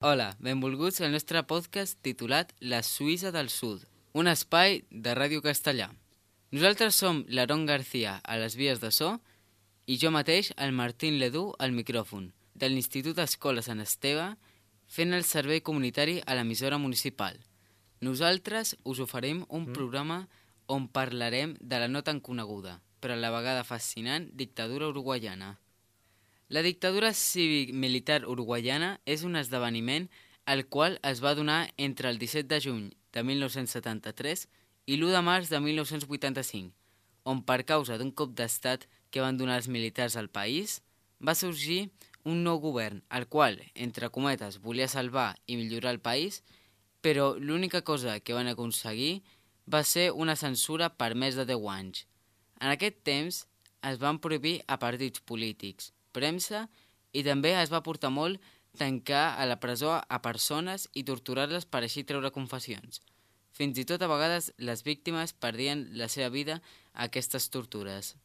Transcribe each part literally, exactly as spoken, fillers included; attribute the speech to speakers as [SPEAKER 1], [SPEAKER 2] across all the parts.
[SPEAKER 1] Hola, benvolguts al nostre podcast titulat La Suïssa del Sud, un espai de Ràdio Castellà. Nosaltres som l'Aaron García a les vies de so i jo mateix, el Martín Ledú, al micròfon, de l'Institut Escola Sant Esteve, fent el servei comunitari a l'emissora municipal. Nosaltres us oferim un mm. programa on parlarem de la no tan coneguda, però a la vegada fascinant, dictadura uruguaiana. La dictadura cívic-militar uruguaiana és un esdeveniment al qual es va donar entre el disset de juny de mil nou-cents setanta-tres i l'u de març de mil nou-cents vuitanta-cinc, on per causa d'un cop d'estat que van donar els militars al país, va sorgir un nou govern, el qual, entre cometes, volia salvar i millorar el país, però l'única cosa que van aconseguir va ser una censura per més de deu anys. En aquest temps es van prohibir a partits polítics, premsa, i també es va portar molt tancar a la presó a persones i torturar-les per així treure confessions. Fins i tot a vegades les víctimes perdien la seva vida a aquestes tortures.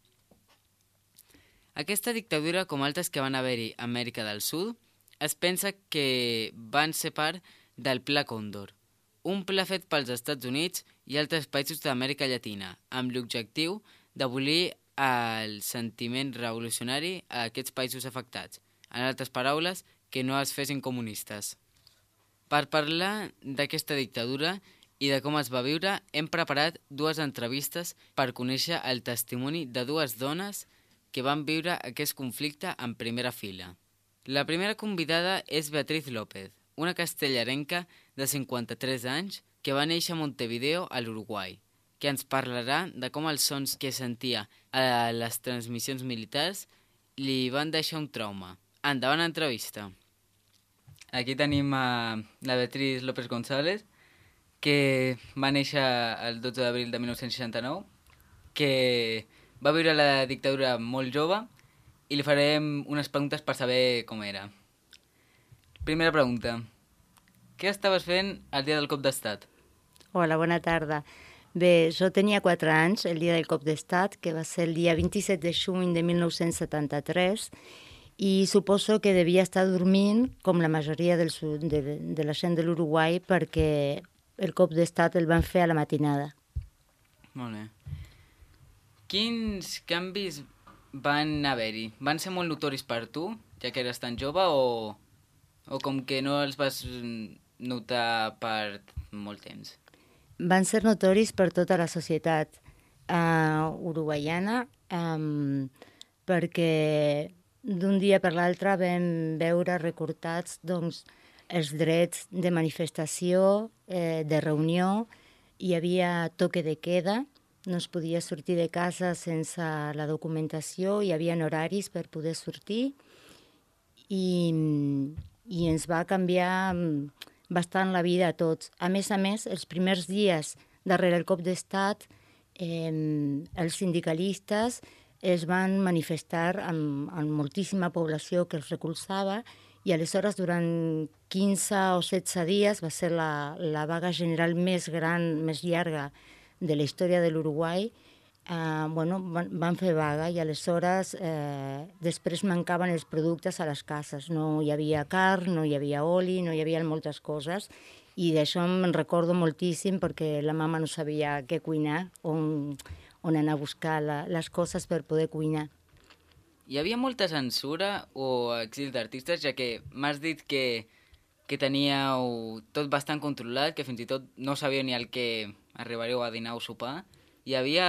[SPEAKER 1] Aquesta dictadura, com altres que van haver-hi a Amèrica del Sud, es pensa que van ser part del Pla Còndor, un pla fet pels Estats Units i altres països d'Amèrica Llatina, amb l'objectiu d'abolir el sentiment revolucionari a aquests països afectats. En altres paraules, que no es fessin comunistes. Per parlar d'aquesta dictadura i de com es va viure, hem preparat dues entrevistes per conèixer el testimoni de dues dones que van viure aquest conflicte en primera fila. La primera convidada és Beatriz López, una castellarenca de cinquanta-tres anys que va néixer a Montevideo, a l'Uruguai, que ens parlarà de com els sons que sentia a les transmissions militars li van deixar un trauma. Endavant entrevista. Aquí tenim a la Beatriz López González, que va néixer el dotze d'abril de mil nou-cents seixanta-nou, que va viure la dictadura molt jove i li farem unes preguntes per saber com era. Primera pregunta. Què estaves fent el dia del cop d'estat?
[SPEAKER 2] Hola, bona tarda. Bé, jo tenia quatre anys el dia del cop d'estat, que va ser el dia vint-i-set de juny de mil nou-cents setanta-tres, i suposo que devia estar dormint, com la majoria del sud, de, de la gent de l'Uruguai, perquè el cop d'estat el van fer a la matinada.
[SPEAKER 1] Molt bé. Quins canvis van haver-hi? Van ser molt notoris per tu, ja que eres tan jove, o, o com que no els vas notar per molt temps?
[SPEAKER 2] Van ser notoris per tota la societat uh, uruguaiana, um, perquè d'un dia per l'altre vam veure recortats doncs, els drets de manifestació, eh, de reunió, hi havia toque de queda, no es podia sortir de casa sense la documentació, hi havia horaris per poder sortir, i, i ens va canviar bastant la vida a tots. A més a més, els primers dies darrere el cop d'estat, eh, els sindicalistes es van manifestar amb, amb moltíssima població que els recolzava, i aleshores durant quinze o setze dies va ser la, la vaga general més gran, més llarga de la història de l'Uruguai. Eh, bueno, van, van fer vaga i aleshores eh, després mancaven els productes a les cases. No hi havia carn, no hi havia oli, no hi havia moltes coses, i d'això me'n recordo moltíssim perquè la mama no sabia què cuinar, on, on anar a buscar la, les coses per poder cuinar.
[SPEAKER 1] Hi havia molta censura o exili d'artistes, ja que m'has dit que, que teníeu tot bastant controlat, que fins i tot no sabíeu ni el que arribaríeu a dinar o sopar. Hi havia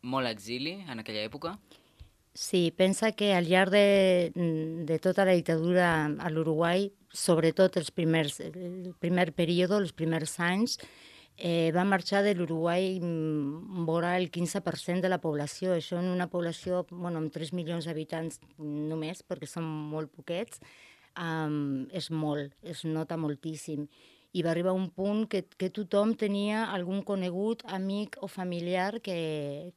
[SPEAKER 1] molt exili en aquella època?
[SPEAKER 2] Sí, pensa que al llarg de, de tota la dictadura a l'Uruguai, sobretot els primers, el primer període, els primers anys, eh, va marxar de l'Uruguai vora el quinze per cent de la població. Això en una població bueno, amb tres milions d'habitants només, perquè són molt poquets, um, és molt, es nota moltíssim. I va arribar un punt que, que tothom tenia algun conegut, amic o familiar que,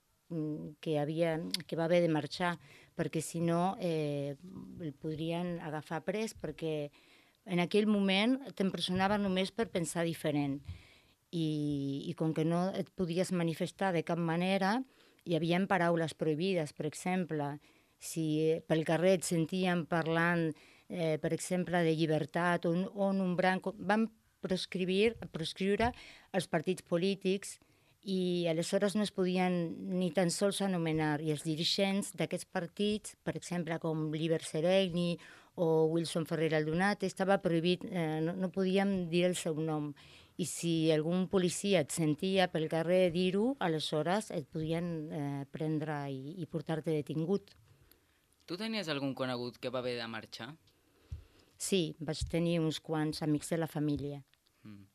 [SPEAKER 2] que, havia, que va haver de marxar, perquè si no eh, el podrien agafar pres, perquè en aquell moment t'empresonaven només per pensar diferent. I, i com que no et podies manifestar de cap manera, hi havia paraules prohibides. Per exemple, si pel carrer et sentíem parlant eh, per exemple, de llibertat, on, on un branc... Van proscriure, proscriure els partits polítics i aleshores no es podien ni tan sols anomenar, i els dirigents d'aquests partits, per exemple, com Liber Seregni o Wilson Ferrer Aldunate, estava prohibit, eh, no, no podíem dir el seu nom. I si algun policia et sentia pel carrer dir-ho, aleshores et podien eh, prendre i, i portar-te detingut.
[SPEAKER 1] Tu tenies algun conegut que va haver de marxar?
[SPEAKER 2] Sí, vaig tenir uns quants amics de la família. Mm.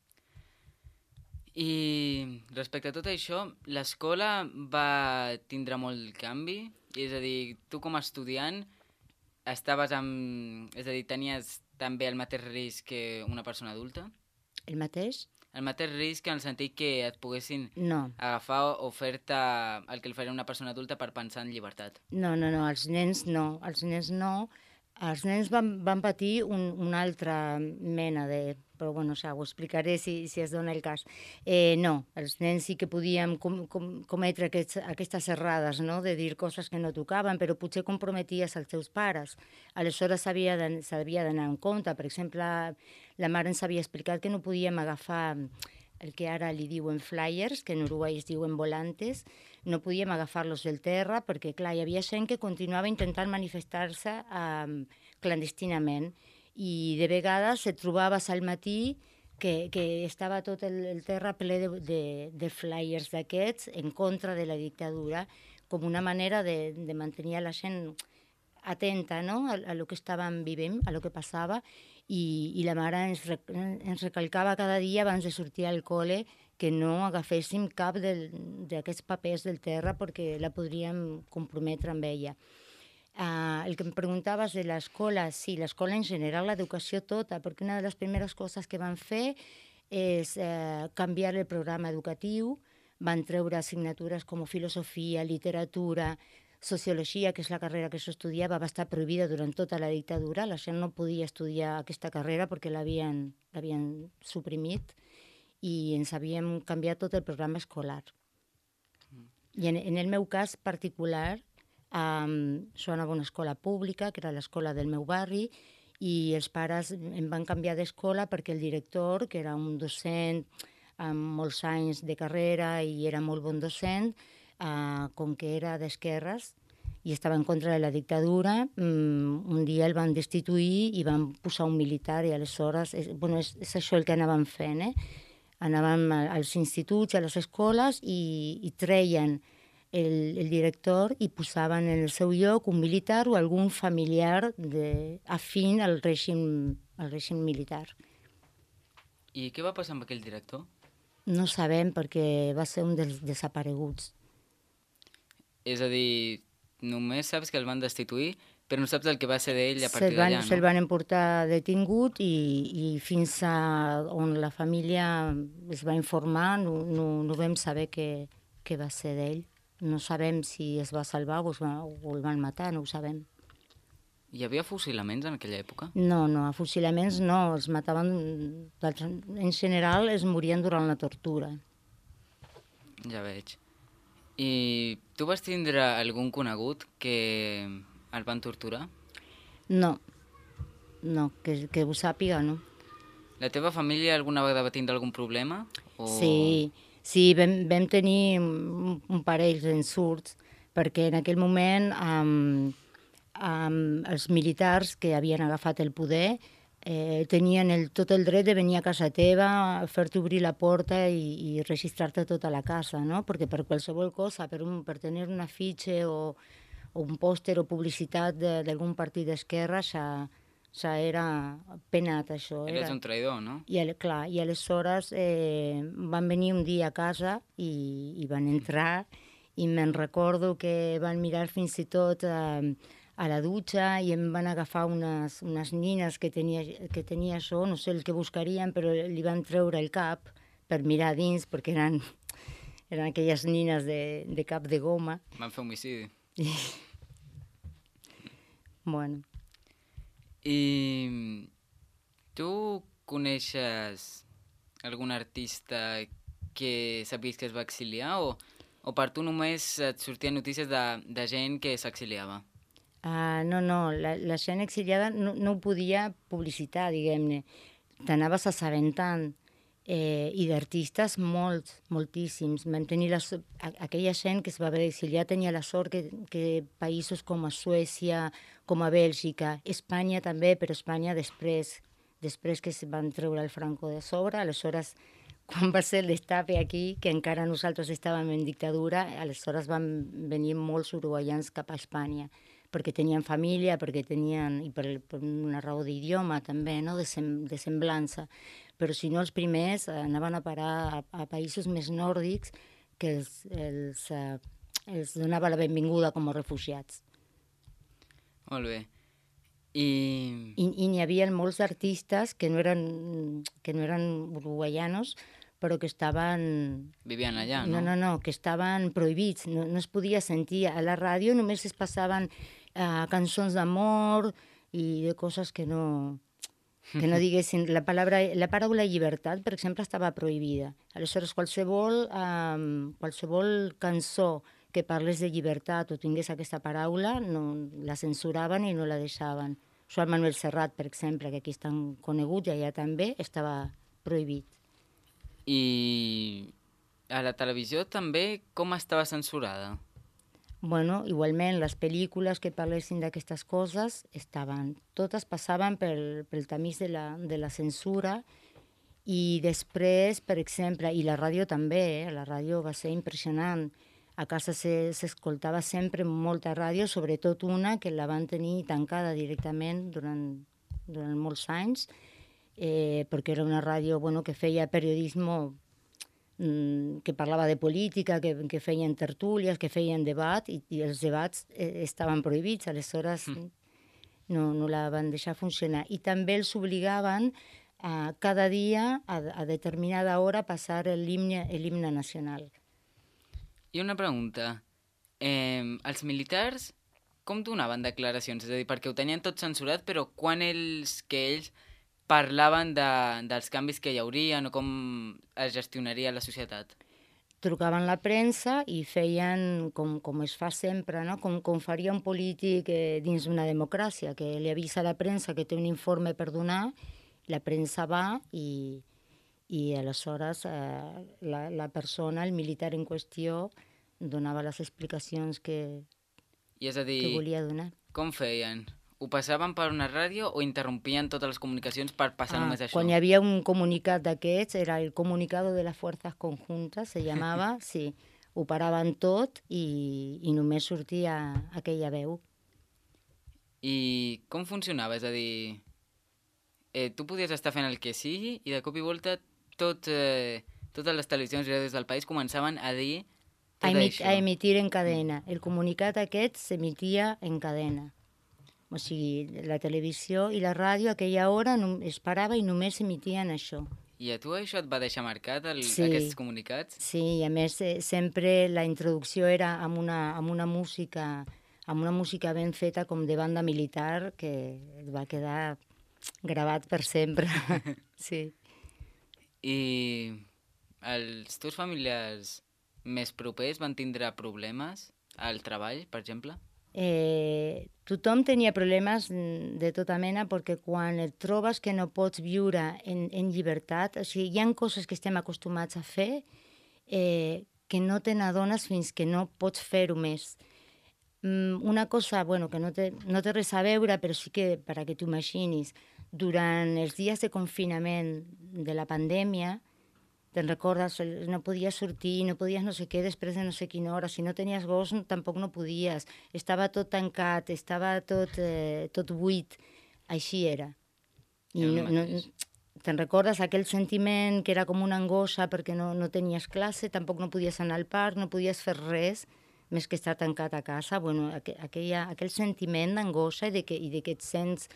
[SPEAKER 1] I respecte a tot això, l'escola va tindre molt canvi? És a dir, tu com a estudiant estaves amb... És a dir, tenies també el mateix risc que una persona adulta?
[SPEAKER 2] El mateix?
[SPEAKER 1] El mateix risc en el sentit que et poguessin
[SPEAKER 2] no.
[SPEAKER 1] agafar o fer-te el que el faria una persona adulta per pensar en llibertat?
[SPEAKER 2] No, no, no, els nens no. Els nens no. Els nens van, van patir un, una altra mena de... Però bueno, ja ho explicaré si, si es dona el cas. Eh, no, els nens sí que podíem com, com, cometre aquests, aquestes errades, no? De dir coses que no tocaven, però potser comprometies els teus pares. Aleshores s'havia d'anar en compte. Per exemple, la mare ens havia explicat que no podíem agafar el que ara li diuen flyers, que en Uruguai es diuen volantes, no podíem agafar-los del terra perquè, clar, hi havia gent que continuava intentant manifestar-se eh, clandestinament i de vegades et trobaves al matí que, que estava tot el, el terra ple de, de, de flyers d'aquests en contra de la dictadura, com una manera de, de mantenir a la gent atenta, no?, a, a lo que estàvem vivint, a lo que passava, i, i la mare ens, ens recalcava cada dia abans de sortir al col·le que no agaféssim cap d'aquests papers del terra perquè la podríem comprometre amb ella. Uh, el que em preguntaves de l'escola, sí, l'escola en general, l'educació tota, perquè una de les primeres coses que van fer és uh, canviar el programa educatiu, van treure assignatures com filosofia, literatura, sociologia, que és la carrera que s'estudiava, va estar prohibida durant tota la dictadura, la gent no podia estudiar aquesta carrera perquè l'havien suprimit i ens havíem canviat tot el programa escolar. I en, en el meu cas particular, Um, jo anava a una escola pública, que era l'escola del meu barri, i els pares em van canviar d'escola perquè el director, que era un docent amb molts anys de carrera i era molt bon docent, uh, com que era d'esquerres i estava en contra de la dictadura, um, un dia el van destituir i van posar un militar i aleshores, és, bueno, és, és això el que anàvem fent, eh? Anàvem als instituts, a les escoles i, i treien El, el director i posaven en el seu lloc un militar o algun familiar de, afín al règim, al règim militar.
[SPEAKER 1] I què va passar amb aquell director?
[SPEAKER 2] No sabem, perquè va ser un dels desapareguts.
[SPEAKER 1] És a dir, només saps que el van destituir, però no saps el que va ser d'ell a partir d'allà, no?
[SPEAKER 2] Se'l van emportar detingut i, i fins a on la família es va informar no, no, no vam saber què, què va ser d'ell. No sabem si es va salvar o, es va, o el van matar, no ho sabem.
[SPEAKER 1] Hi havia fusilaments en aquella època?
[SPEAKER 2] No, no, fusilaments no, els mataven... En general es morien durant la tortura.
[SPEAKER 1] Ja veig. I tu vas tindre algun conegut que el van torturar?
[SPEAKER 2] No, no, que, que ho sàpiga, no.
[SPEAKER 1] La teva família alguna vegada va tindre algun problema? O...
[SPEAKER 2] Sí, Sí, vam, vam tenir un, un parell d'ensurts, perquè en aquell moment um, um, els militars que havien agafat el poder eh, tenien el, tot el dret de venir a casa teva, fer-te obrir la porta i, i registrar-te tota la casa, no? Perquè per qualsevol cosa, per, un, per tenir una fitxa o, o un pòster o publicitat d'algun partit d'esquerra, ja... ja era penat, això.
[SPEAKER 1] Eres era... un traïdor, no?
[SPEAKER 2] I, clar, i aleshores eh, van venir un dia a casa i, i van entrar i me'n recordo que van mirar fins i tot eh, a la dutxa i em van agafar unes, unes nines que tenia, que tenia això, no sé el que buscarien, però li van treure el cap per mirar dins, perquè eren, eren aquelles nines de, de cap de goma.
[SPEAKER 1] Van fer homicidi.
[SPEAKER 2] Bueno.
[SPEAKER 1] I tu coneixes algun artista que sabies que es va exiliar o, o per tu només et sortien notícies de, de gent que s'exiliava?
[SPEAKER 2] Uh, no, no, la, la gent exiliada no, no ho podia publicitar, diguem-ne. T'anaves assabentant. Eh, I d'artistes molts, moltíssims. Vam tenir la, aquella gent que es va haver d'exiliar tenia la sort que, que països com a Suècia, com a Bèlgica, Espanya també, però Espanya després, després que es van treure el Franco de sobre, aleshores, quan va ser el destape aquí, que encara nosaltres estàvem en dictadura, aleshores van venir molts uruguaians cap a Espanya, perquè tenien família, perquè tenien, i per, per una raó d'idioma també, no? de, sem, de semblança. Però si no els primers anaven a parar a, a països més nòrdics que els, els, eh, els donava la benvinguda com a refugiats.
[SPEAKER 1] Molt bé. I...
[SPEAKER 2] I, i n'hi havia molts artistes que no eren, que no eren uruguaianos, però que estaven...
[SPEAKER 1] Vivien allà, no?
[SPEAKER 2] No, no, no, que estaven prohibits, no, no es podia sentir. A la ràdio només es passaven eh, cançons d'amor i de coses que no... que no diguessin, la paraula, la paraula llibertat, per exemple, estava prohibida. Aleshores, qualsevol, um, qualsevol cançó que parlés de llibertat o tingués aquesta paraula, no, la censuraven i no la deixaven. Joan Manuel Serrat, per exemple, que aquí és tan conegut i allà també, estava prohibit.
[SPEAKER 1] I a la televisió també com estava censurada?
[SPEAKER 2] Bueno, igualment, les pel·lícules que parlessin d'aquestes coses estaven, totes passaven pel, pel tamís de la, de la censura i després, per exemple, i la ràdio també, eh? La ràdio va ser impressionant. A casa s'escoltava sempre molta ràdio, sobretot una que la van tenir tancada directament durant, durant molts anys, eh, perquè era una ràdio bueno, que feia periodisme que parlava de política, que, que feien tertúlies, que feien debat, i, i els debats eh, estaven prohibits, aleshores mm. no, no la van deixar funcionar. I també els obligaven a cada dia, a, a determinada hora, passar l'himne nacional.
[SPEAKER 1] I una pregunta. Eh, els militars com donaven declaracions? És a dir, perquè ho tenien tot censurat, però quan ells, que ells parlaven de, dels canvis que hi haurien o com es gestionaria la societat?
[SPEAKER 2] Trucaven la premsa i feien, com, com es fa sempre, no? com, com faria un polític eh, dins d'una democràcia, que li avisa a la premsa que té un informe per donar, la premsa va i, i aleshores eh, la, la persona, el militar en qüestió, donava les explicacions que,
[SPEAKER 1] I és a dir,
[SPEAKER 2] que volia donar.
[SPEAKER 1] Com feien? Ho passaven per una ràdio o interrompien totes les comunicacions per passar ah, només això?
[SPEAKER 2] Quan hi havia un comunicat d'aquests, era el comunicado de las fuerzas conjuntas, se llamava, sí, ho paraven tot i, i només sortia aquella veu.
[SPEAKER 1] I com funcionava? És a dir, eh, tu podies estar fent el que sigui i de cop i volta tot, eh, totes les televisions i ràdios del país començaven a dir tot
[SPEAKER 2] a, emit,
[SPEAKER 1] això.
[SPEAKER 2] A emitir en cadena. El comunicat aquest s'emitia en cadena. O sigui, la televisió i la ràdio a aquella hora no, es parava i només emitien això.
[SPEAKER 1] I a tu això et va deixar marcat, el,
[SPEAKER 2] sí,
[SPEAKER 1] aquests comunicats?
[SPEAKER 2] Sí, i a més eh, sempre la introducció era amb una, amb una música amb una música ben feta com de banda militar que va quedar gravat per sempre. Sí.
[SPEAKER 1] I els teus familiars més propers van tindre problemes al treball, per exemple?
[SPEAKER 2] Eh, tothom tenia problemes de tota mena perquè quan et trobes que no pots viure en, en llibertat, o sigui, hi ha coses que estem acostumats a fer eh, que no te n'adones fins que no pots fer-ho més. Mm, una cosa, bueno, que no té, no té res a veure, però sí que, per a que t'ho imaginis, durant els dies de confinament de la pandèmia, te'n recordes, no podies sortir, no podies no sé què després de no sé quina hora, si no tenies gos tampoc no podies, estava tot tancat, estava tot, eh, tot buit, així era. I no, no, te'n recordes aquell sentiment que era com una angoixa perquè no, no tenies classe, tampoc no podies anar al parc, no podies fer res, més que estar tancat a casa, bueno, aquella, aquell sentiment d'angoixa i, de que, i de que et sents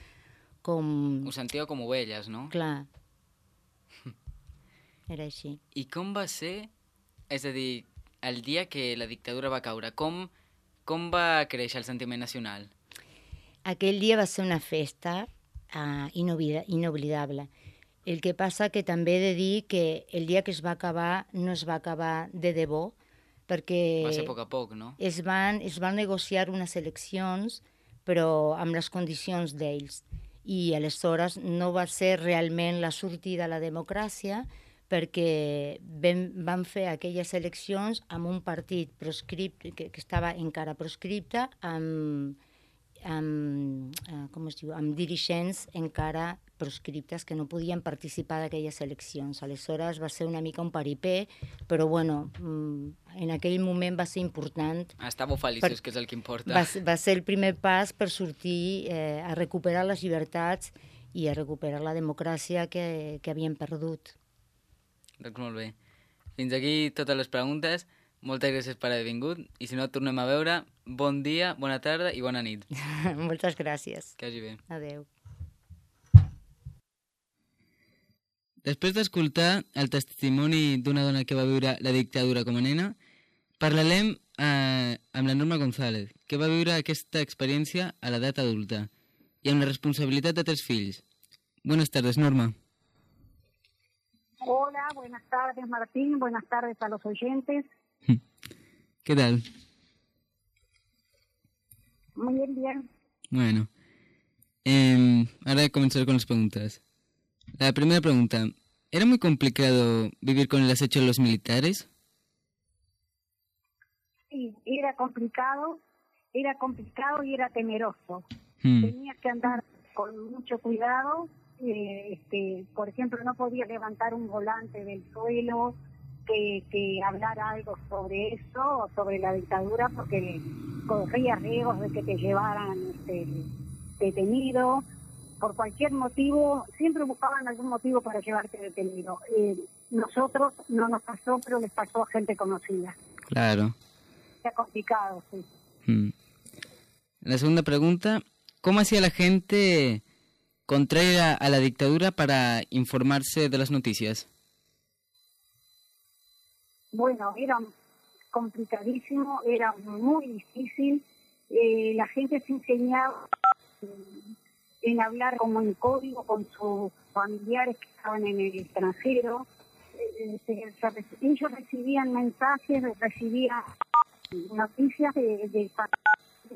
[SPEAKER 2] com...
[SPEAKER 1] Ho sentíeu com ovelles, no?
[SPEAKER 2] Clar. Era així.
[SPEAKER 1] I com va ser, és a dir, el dia que la dictadura va caure, com, com va créixer el sentiment nacional?
[SPEAKER 2] Aquell dia va ser una festa uh, inoblidable. El que passa que també he de dir que el dia que es va acabar no es va acabar de debò, perquè
[SPEAKER 1] va ser a poc a poc, no?
[SPEAKER 2] Es van, es van negociar unes eleccions però amb les condicions d'ells. I aleshores no va ser realment la sortida a la democràcia, perquè vam, van fer aquelles eleccions amb un partit proscripte, que, que estava encara proscripte, amb, amb, eh, com es diu, amb dirigents encara proscriptes que no podien participar d'aquelles eleccions. Aleshores va ser una mica un paripé, però bueno, en aquell moment va ser important.
[SPEAKER 1] Estàveu feliços, per, que és el que importa.
[SPEAKER 2] Va, va ser el primer pas per sortir eh, a recuperar les llibertats i a recuperar la democràcia que, que havíem perdut.
[SPEAKER 1] Doncs molt bé. Fins aquí totes les preguntes. Moltes gràcies per haver vingut i si no et tornem a veure, bon dia, bona tarda i bona nit.
[SPEAKER 2] Moltes gràcies.
[SPEAKER 1] Que hagi bé.
[SPEAKER 2] Adéu.
[SPEAKER 1] Després d'escoltar el testimoni d'una dona que va viure la dictadura com a nena, parlarem eh, amb la Norma González, que va viure aquesta experiència a l'edat adulta i amb la responsabilitat de tres fills. Buenas tardes, Norma.
[SPEAKER 3] Hola, buenas tardes, Martín. Buenas tardes a los oyentes.
[SPEAKER 1] ¿Qué tal?
[SPEAKER 3] Muy bien, bien.
[SPEAKER 1] Bueno, eh, ahora comenzar con las preguntas. La primera pregunta, ¿era muy complicado vivir con el acecho de los militares?
[SPEAKER 3] Sí, era complicado, era complicado y era temeroso.
[SPEAKER 1] Hmm.
[SPEAKER 3] Tenía que andar con mucho cuidado, eh, este, por ejemplo, no podía levantar un volante del suelo, que, que hablar algo sobre eso, sobre la dictadura, porque corría riesgos de que te llevaran este, detenido. Por cualquier motivo, siempre buscaban algún motivo para llevarte detenido. Eh, nosotros no nos pasó, pero les pasó a gente conocida.
[SPEAKER 1] Claro.
[SPEAKER 3] Era complicado, sí.
[SPEAKER 1] Hmm. La segunda pregunta, ¿cómo hacía la gente contraria a la dictadura para informarse de las noticias?
[SPEAKER 3] Bueno, era complicadísimo, era muy difícil. Eh, la gente se enseñaba en hablar como en código con sus familiares que estaban en el extranjero. Eh, se, se, ellos recibían mensajes, recibían noticias de, de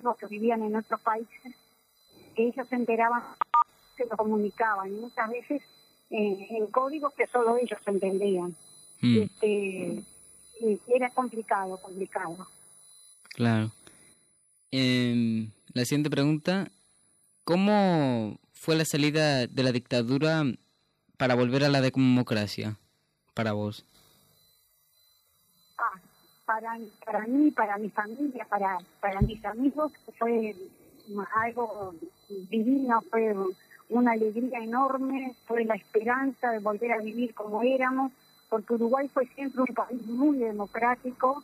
[SPEAKER 3] los que vivían en otros países, que ellos se enteraban, se lo comunicaban, y muchas veces eh, en códigos que solo ellos entendían. Mm. Este, era complicado, complicado.
[SPEAKER 1] Claro. Eh, la siguiente pregunta, ¿cómo fue la salida de la dictadura para volver a la democracia para vos?
[SPEAKER 3] Ah, para, para mí, para mi familia, para, para mis amigos, fue algo divino, fue una alegría enorme, fue la esperanza de volver a vivir como éramos, porque Uruguay fue siempre un país muy democrático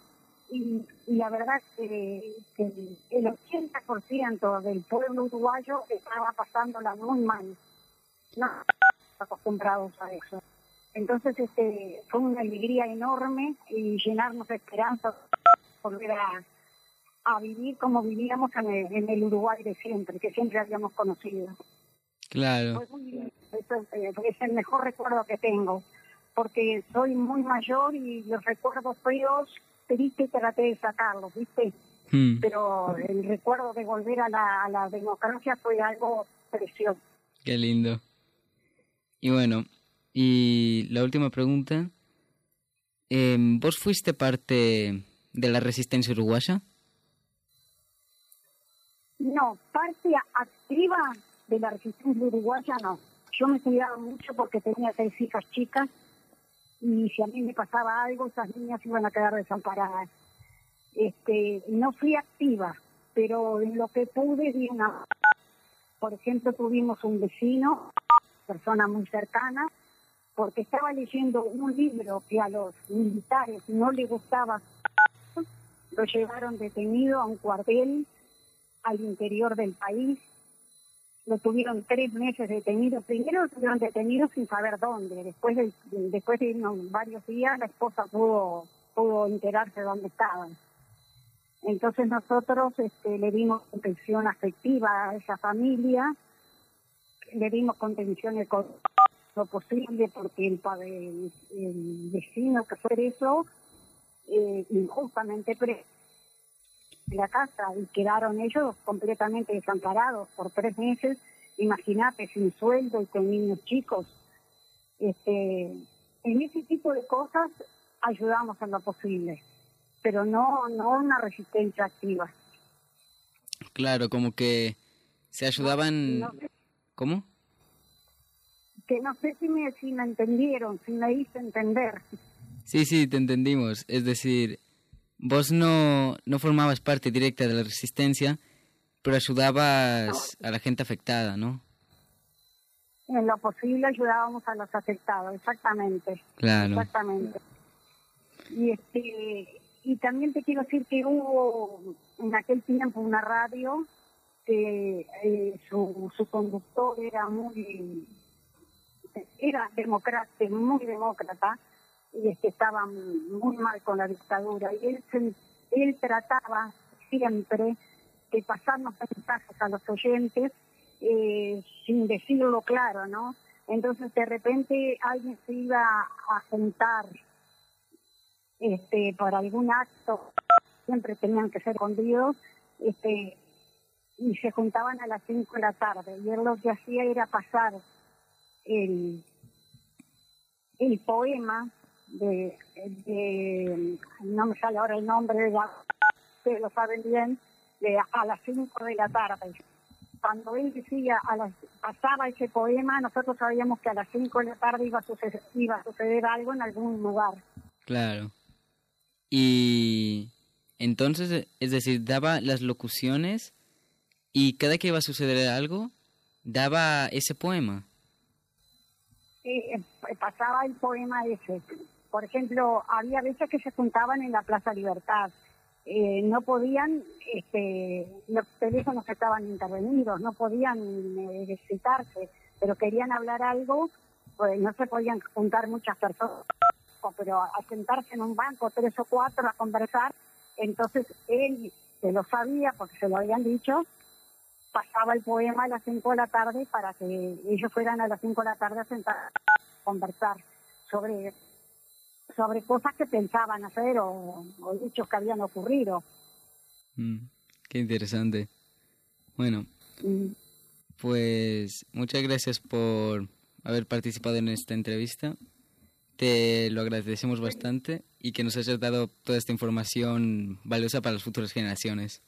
[SPEAKER 3] y, y la verdad que, que el ochenta por ciento del pueblo uruguayo estaba pasándola muy mal, no acostumbrados a eso. Entonces este fue una alegría enorme y llenarnos de esperanza, volver a, a vivir como vivíamos en el, en el Uruguay de siempre, que siempre habíamos conocido.
[SPEAKER 1] Claro.
[SPEAKER 3] Fue muy bien. Eso, eh, es el mejor recuerdo que tengo, porque soy muy mayor y los recuerdos fríos, triste, traté de sacarlos, ¿viste? Hmm. Pero el recuerdo de volver a la, a la democracia fue algo precioso.
[SPEAKER 1] Qué lindo. Y bueno, y la última pregunta, eh, ¿vos fuiste parte de la resistencia uruguaya?
[SPEAKER 3] No, parte activa de la resistencia uruguaya no. Yo me cuidaba mucho porque tenía seis hijas chicas y si a mí me pasaba algo, esas niñas iban a quedar desamparadas. Este, no fui activa, pero en lo que pude di una... Por ejemplo, tuvimos un vecino, persona muy cercana, porque estaba leyendo un libro que a los militares no les gustaba. Lo llevaron detenido a un cuartel al interior del país. Lo tuvieron tres meses detenido. Primero lo tuvieron detenido sin saber dónde. Después de, después de unos varios días, la esposa pudo, pudo enterarse de dónde estaban. Entonces nosotros este, le dimos contención afectiva a esa familia, le dimos contención económica lo posible, porque el, el, el vecino que fue preso, eh, injustamente preso, en la casa y quedaron ellos completamente desamparados por tres meses. Imagínate, sin sueldo y con niños chicos. Este, en ese tipo de cosas ayudamos en lo posible, pero no, no una resistencia activa.
[SPEAKER 1] Claro, como que se ayudaban...
[SPEAKER 3] No, no sé,
[SPEAKER 1] ¿Cómo?
[SPEAKER 3] que no sé si me, si me entendieron, si me hice entender.
[SPEAKER 1] Sí, sí, te entendimos. Es decir, vos no, no formabas parte directa de la resistencia, pero ayudabas a la gente afectada, ¿no?
[SPEAKER 3] En lo posible ayudábamos a los afectados, exactamente.
[SPEAKER 1] Claro.
[SPEAKER 3] Exactamente. Y este y también te quiero decir que hubo en aquel tiempo una radio que eh, su, su conductor era muy era demócrata, muy demócrata, y este estaba muy mal con la dictadura, y él se, él trataba siempre de pasarnos mensajes a los oyentes eh, sin decirlo claro, ¿no? Entonces de repente alguien se iba a juntar este por algún acto, siempre tenían que ser escondidos, este y se juntaban a las cinco de la tarde, y él lo que hacía era pasar el, el poema de, de, no me sale ahora el nombre, de la, ustedes lo saben bien, de a las cinco de la tarde. Cuando él decía, a las, pasaba ese poema, nosotros sabíamos que a las cinco de la tarde iba a suceder, iba a suceder algo en algún lugar.
[SPEAKER 1] Claro. Y entonces, es decir, daba las locuciones y cada que iba a suceder algo, daba ese poema.
[SPEAKER 3] Eh, pasaba el poema ese. Por ejemplo, había veces que se juntaban en la Plaza Libertad. Eh, no podían, este, los teléfonos estaban intervenidos, no podían eh, citarse, pero querían hablar algo, pues no se podían juntar muchas personas, pero a sentarse en un banco, tres o cuatro, a conversar. Entonces él, se lo sabía porque se lo habían dicho, pasaba el poema a las cinco de la tarde para que ellos fueran a las cinco de la tarde a sentar a conversar sobre sobre cosas que pensaban hacer o, o hechos que habían ocurrido.
[SPEAKER 1] Mm, qué interesante. Bueno,
[SPEAKER 3] Mm.
[SPEAKER 1] pues muchas gracias por haber participado en esta entrevista. Te lo agradecemos bastante y que nos hayas dado toda esta información valiosa para las futuras generaciones.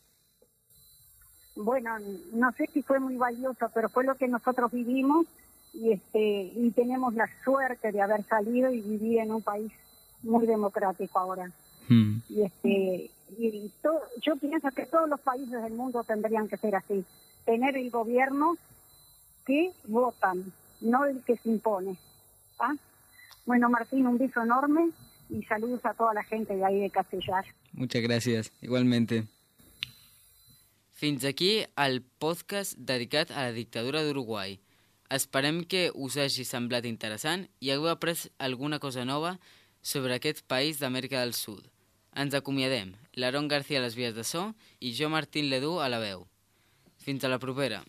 [SPEAKER 3] Bueno, no sé si fue muy valioso, pero fue lo que nosotros vivimos y este y tenemos la suerte de haber salido y vivir en un país muy democrático ahora.
[SPEAKER 1] Mm.
[SPEAKER 3] Y este y todo, yo pienso que todos los países del mundo tendrían que ser así, tener el gobierno que votan, no el que se impone. ¿Ah? Bueno, Martín, un beso enorme y saludos a toda la gente de ahí de Castellar.
[SPEAKER 1] Muchas gracias, igualmente. Fins aquí el podcast dedicat a la dictadura d'Uruguai. Esperem que us hagi semblat interessant i hagueu après alguna cosa nova sobre aquest país d'Amèrica del Sud. Ens acomiadem, l'Aaron García a les vies de so i jo, Martín Ledú, a la veu. Fins a la propera.